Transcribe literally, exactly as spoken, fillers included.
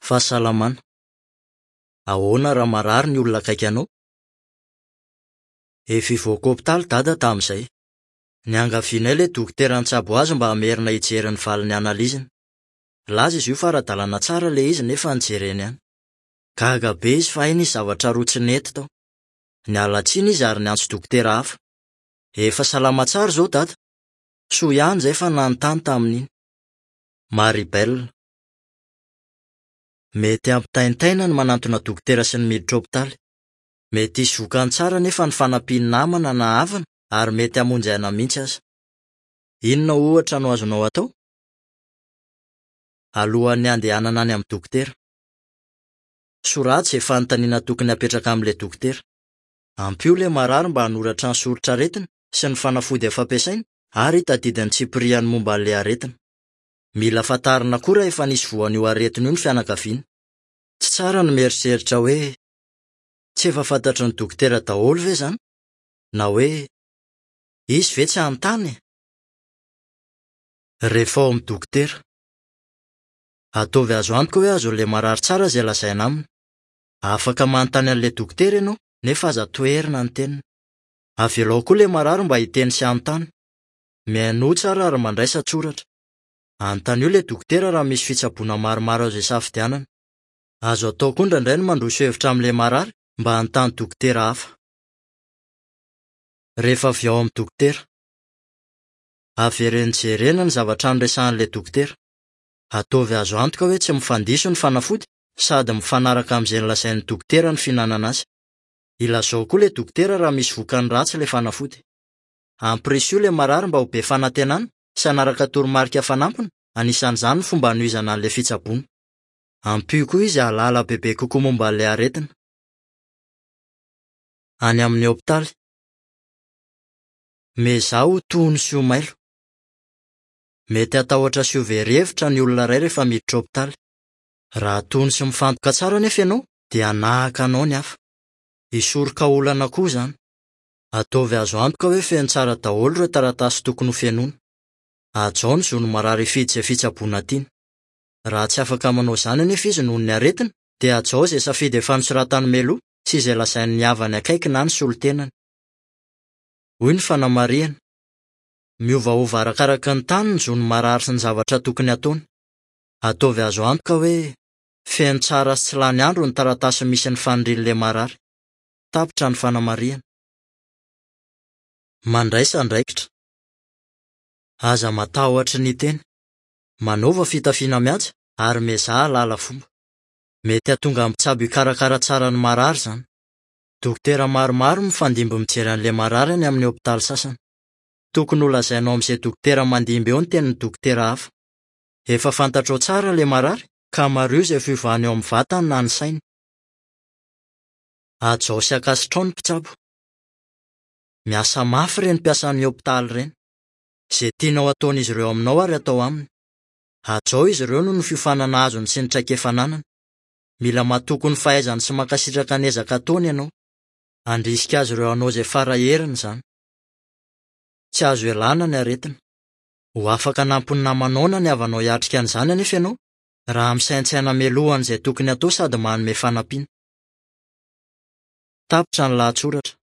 Fahasalamana. Ahoana raha marary ny olona akaiky anao? Efa hivoaka hopitaly dada tamin'izay. Niangavianay ilay dokotera nitsabo azy mba hamerina hijery ny valin'ny analiziny. Nilaza izy io fa ara-dalàna tsara ilay izy nefa nijereny ihany. Gaga be izy fa hay nisy zavatra roa tsy nety tao. Niala tsiny izy ary niantso dokotera hafa. Efa salama tsara izao dada. Soa ihany izay fa nanontany tamin'iny. Maribel. Mety hampitaintaina ny manantona dokotera sy ny miditra hopitaly. Mety hisy vokany tsara nefa ny fanampian'ny namana na havana ary mety hamonjy aina mihitsy aza. Inona ohatra no azonao atao? Alohan'ny handehanana any amin'ny dokotera. Soraty izay fanontaniana tokony hapetraka amin'ilay dokotera. Ampio ilay marary mba hanoratra ny soritr'aretina sy ny fanafody efa ampiasaina ary hitadidy ny tsipiriany momba an'ilay aretina. Mila fantarina koa raha efa nisy voan'io aretina io ny fianakaviana. Tsy tsara ny mieritreritra hoe tsy efa fantatry ny dokotera daholo ve izany? Na hoe izy ve tsy hanontany? Rehefa ao amin'ny dokotera. Ataovy azo antoka hoe azon'ilay marary tsara izay lazaina aminy. Afaka manontany an'ilay dokotera ianao nefa aza toherina ny teniny. Avelao koa ilay marary mba hiteny sy hanontany. Mihainoa tsara ary mandraisa an-tsoratra. Anontanio ilay dokotera raha misy fitsaboana maromaro azo isafidianana. Azo atao koa indraindray ny mandroso hevitra amin'ilay marary mba hanontany dokotera hafa. Rehefa avy ao amin'ny dokotera. Avereno jerena ny zavatra noresahan'ilay dokotera. Ataovy azo antoka hoe tsy mifandiso ny fanafody sady mifanaraka amin'izay nolazain'ny dokotera ny fihinanana azy. Ilazao koa ilay dokotera raha misy vokany ratsy ilay fanafody. Ampirisio ilay marary mba ho be fanantenana sy hanaraka toromarika fanampiny, anisan'izany ny fomba hanohizana an'ilay fitsaboana. Ampio koa izy hahalala bebe kokoa momba an'ilay aretina. Any amin'ny hopitaly. Miezaha ho tony sy ho mailo. Mety hatahotra sy ho very hevitra ny olona iray rehefa miditra hopitaly. Raha tony sy mifantoka tsara anefa ianao dia hanahaka anao ny hafa. Hisoroka olana koa izany. Ataovy azo antoka hoe feno tsara daholo ireo taratasy tokony ho fenoina. Hajao ny zon'ny marary hifidy izay fitsaboana tiany. Raha tsy afaka manao izany anefa izy noho ny aretina, dia hajao izay safidy efa nosoratany mialoha sy izay lazain'ny havany akaiky na ny solontenany. Hoy ny fanamarihana. Miovaova arakaraka ny tany ny zon'ny marary sy ny zavatra tokony hataony. Ataovy azo antoka hoe feno tsara sy tsy lany andro ny taratasy misy ny fanirian'ilay marary. Tapitra ny fanamarihana. Mandraisa andraikitra. Aza matahotra ny teny. Manaova fitafiana mihaja ary miezaha hahalala fomba. Mety hahatonga ny mpitsabo hikarakara tsara ny marary izany. Dokotera maromaro mifandimby mijery an'ilay marary any amin'ny hopitaly sasany. Tokony ho lazainao amin'izay dokotera mandimby eo ny tenin'ny dokotera hafa. Efa fantatrao tsara ilay marary ka mariho izay fiovana eo amin'ny vatany na ny sainy. Hajao sy ankasitrao ny mpitsabo. Miasa mafy ireny mpiasan'ny hopitaly ireny. Izay tianao hataon'izy ireo aminao ary atao aminy. Hajao izy ireo noho ny fiofanana azony sy ny traikefa ananany. Mila matoky ny fahaizany sy mankasitraka ny ezaka ataony ianao. Handrisika azy ireo hanao izay fara heriny izany. Tsy azo ialana ny aretina. Ho afaka hanampy ny namanao na ny havanao hiatrika an'izany anefa ianao raha misaintsaina mialohan'izay tokony hatao sady manome fanampiana. Tapitra ny lahatsoratra.